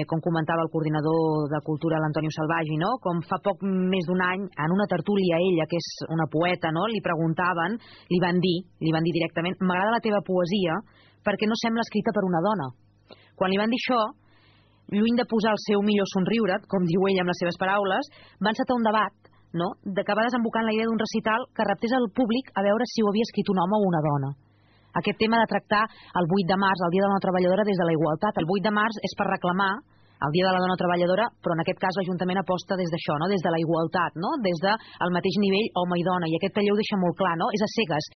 com comentava el coordinador de Cultura, l'Antonio Salvagi, no? Com fa poc més d'un any, en una tertúlia, ella, que és una poeta, no? Li preguntaven, li van dir directament, m'agrada la teva poesia perquè no sembla escrita per una dona. Quan li van dir això, lluny de posar el seu millor somriure, com diu ella amb les seves paraules, va encetar un debat, no? Que va desembocar en la idea d'un recital que reptés al públic a veure si ho havia escrit un home o una dona. Aquest tema de tractar el 8 de març, el Dia de la Dona Treballadora, des de la igualtat. El 8 de març és per reclamar el Dia de la Dona Treballadora, però en aquest cas l'Ajuntament aposta des d'això, no? Des de la igualtat, no? Des del mateix nivell home i dona. I aquest taller ho deixa molt clar, no? És a cegues.